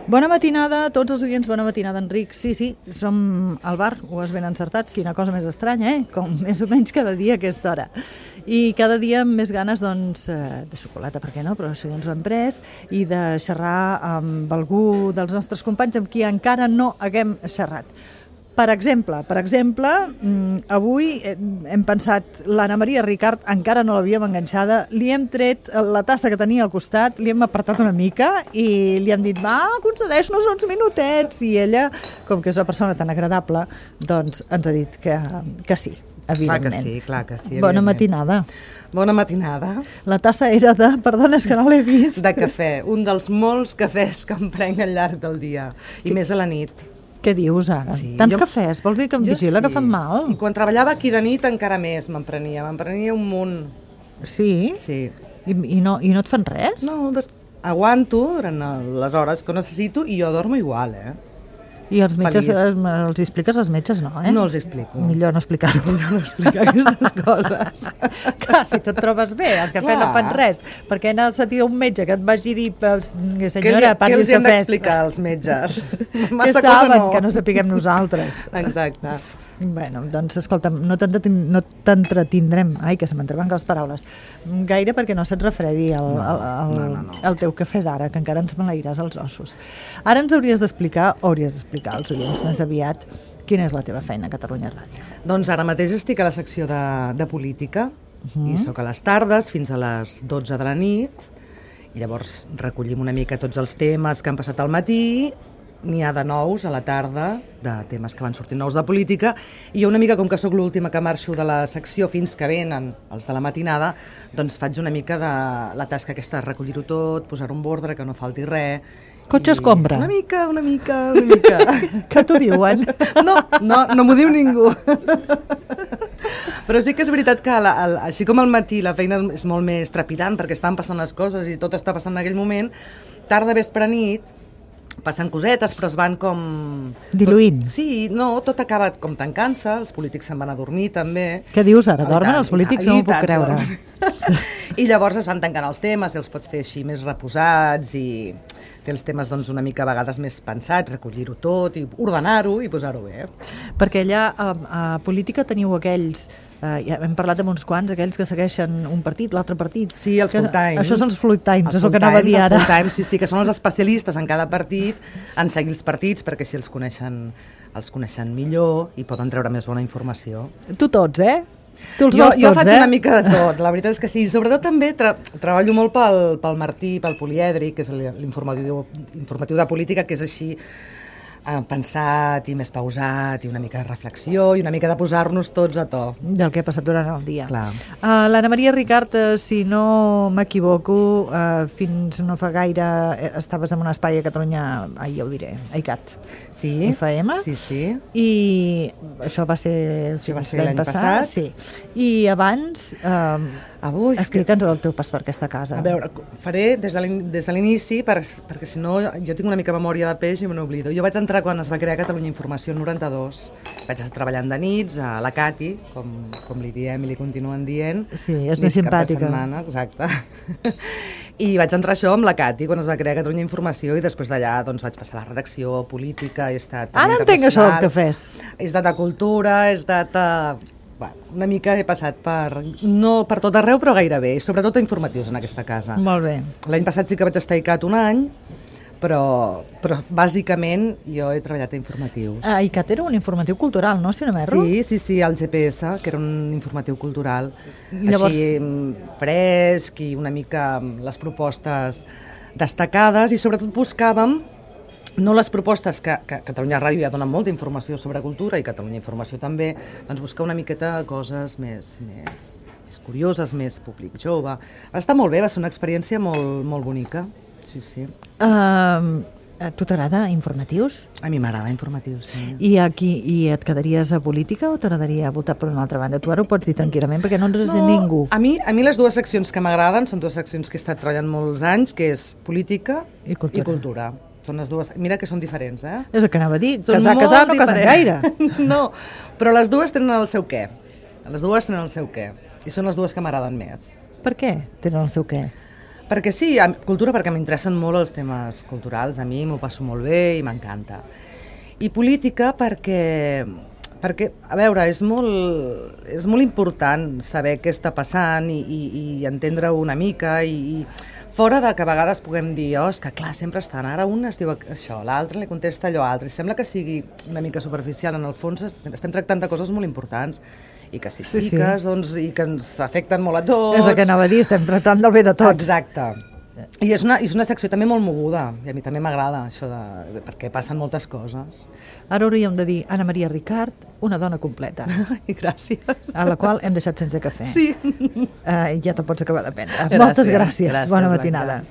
Bona matinada a tots els oients, bona matinada, Enric. Sí, som al bar, ho has ben encertat, quina cosa més estranya, com més o menys cada dia a aquesta hora. I cada dia amb més ganes, doncs, de xocolata, per què no, però això ja ens ho hem pres, i de xerrar amb algú dels nostres companys amb qui encara no haguem xerrat. Per exemple, avui hem pensat, l'Anna Maria Ricart encara no l'havíem enganxada, li hem tret la tassa que tenia al costat, li hem apartat una mica i li hem dit, va, concedeix-nos uns minutets, i ella, com que és una persona tan agradable, doncs ens ha dit que sí, evidentment. Clar que sí. Bona matinada. Bona matinada. La tassa era de, perdona, és que no l'he vist. De cafè, un dels molts cafès que em prenc al llarg del dia, i més a la nit. Què dius ara? Sí, Tants cafès? Vols dir que em vigila que fan mal? I quan treballava aquí de nit encara més me'n prenia un munt. Sí? Sí. I no et fan res? No, aguanto durant les hores que necessito i jo dormo igual, I els metges, els expliques als metges, no, No els explico. Millor no explicar-ho. Millor no explicar aquestes coses. Clar, si tu et trobes bé, els cafès no fan res, perquè no se tira un metge que et vagi dir, senyora, parli els cafès. Què els hem d'explicar als metges? Que saben que no sapiguem nosaltres. Exacte. Bueno, doncs escolta'm, no t'entretindrem, que se m'entreven les paraules, gaire perquè no se't refredi el teu cafè d'ara, que encara ens maleiràs els ossos. Ara ens hauries d'explicar als oients més aviat quina és la teva feina a Catalunya Ràdio. Doncs ara mateix estic a la secció de política i sóc a les tardes fins a les 12 de la nit i llavors recollim una mica tots els temes que han passat al matí. N'hi ha de nous a la tarda, de temes que van sortint nous de política, i jo una mica, com que sóc l'última que marxo de la secció fins que venen els de la matinada, doncs faig una mica de la tasca aquesta de recollir-ho tot, posar-ho en ordre, que no falti res. Cotxe escombra? Una mica. Que t'ho diuen? No m'ho diu ningú. Però sí que és veritat que així com al matí la feina és molt més trepidant perquè estan passant les coses i tot està passant en aquell moment, tarda, vespre, nit, passen cosetes, però es van com... diluint. Sí, tot acaba com tancant-se, els polítics se'n van a dormir també. Què dius ara? Dormen els polítics? No m'ho puc creure. I llavors es van tancant els temes i els pots fer així més reposats i fer els temes doncs, una mica a vegades més pensats, recollir-ho tot i ordenar-ho i posar-ho bé. Perquè allà a política teniu aquells, ja hem parlat amb uns quants, aquells que segueixen un partit, l'altre partit. Sí, els full times. Això són els full times, és el que anava a dir ara. Els full times, sí, que són els especialistes en cada partit en seguir els partits perquè així els coneixen millor i poden treure més bona informació. Tu tots, Tu els jo tots, faig una mica de tot, la veritat és que sí. Sobretot també treballo molt pel Martí, pel Polièdric, que és l'informatiu de política, que és així pensat i més pausat i una mica de reflexió i una mica de posar-nos tots a to. Del que ha passat durant el dia. Clar. L'Anna Maria Ricart, si no m'equivoco, fins no fa gaire estaves en un espai a Catalunya, ja ho diré, ICAT. Sí. FM. Sí. I això va ser l'any passat. Sí. I abans... explica'ns el teu pas per aquesta casa. A veure, faré des de l'inici, perquè si no jo tinc una mica memòria de peix i me n'oblido. Jo vaig entrar quan es va crear Catalunya Informació en 92. Vaig estar treballant de nits a la Cati, com li diem i li continuen dient. Sí, és més simpàtica. Setmana, exacte. I vaig entrar això amb la Cati quan es va crear Catalunya Informació i després d'allà doncs, vaig passar a la redacció, política, he estat... Ara entenc això dels cafès. He estat a cultura, he estat a... una mica he passat no per tot arreu, però gairebé, i sobretot a informatius en aquesta casa. Molt bé. L'any passat sí que vaig estar a ICAT un any, però bàsicament jo he treballat a informatius. ICAT era un informatiu cultural, no? Si no m'erro? Sí, el GPS, que era un informatiu cultural, llavors... així fresc i una mica les propostes destacades, i sobretot buscàvem no les propostes que Catalunya Ràdio ja dona molta informació sobre cultura i Catalunya Informació també, doncs buscar una miqueta coses més curioses, més públic jove. Va estar molt bé, va ser una experiència molt bonica. Sí. A tu t'agrada informatius? A mi m'agrada informatius, sí. I et quedaries a política o t'agradaria voltar per una altra banda? Tu ara ho pots dir tranquil·lament perquè no ens has dit ningú. A mi les dues seccions que m'agraden són dues seccions que he estat treballant molts anys, que és política i cultura. Són les dues, mira que són diferents, És el que anava a dir, casar no casen gaire. No, però les dues tenen el seu què. I són les dues que m'agraden més. Per què tenen el seu què? Perquè sí, cultura perquè m'interessen molt els temes culturals, a mi m'ho passo molt bé i m'encanta. I política perquè, a veure, és molt important saber què està passant i entendre una mica i fora de que a vegades puguem dir, és que clar, sempre estan, ara un es diu això, l'altre li contesta allò altre, i sembla que sigui una mica superficial, en el fons estem tractant de coses molt importants i que si piques, doncs, i que ens afecten molt a tots. És el que anava a dir, estem tractant del bé de tots. Exacte. I és una secció també molt moguda, i a mi també m'agrada això, perquè passen moltes coses. Ara hauríem de dir Anna Maria Ricart, una dona completa. Ai, gràcies. A la qual hem deixat sense cafè. Sí. Ja te pots acabar de prendre. Moltes gràcies. Bona matinada.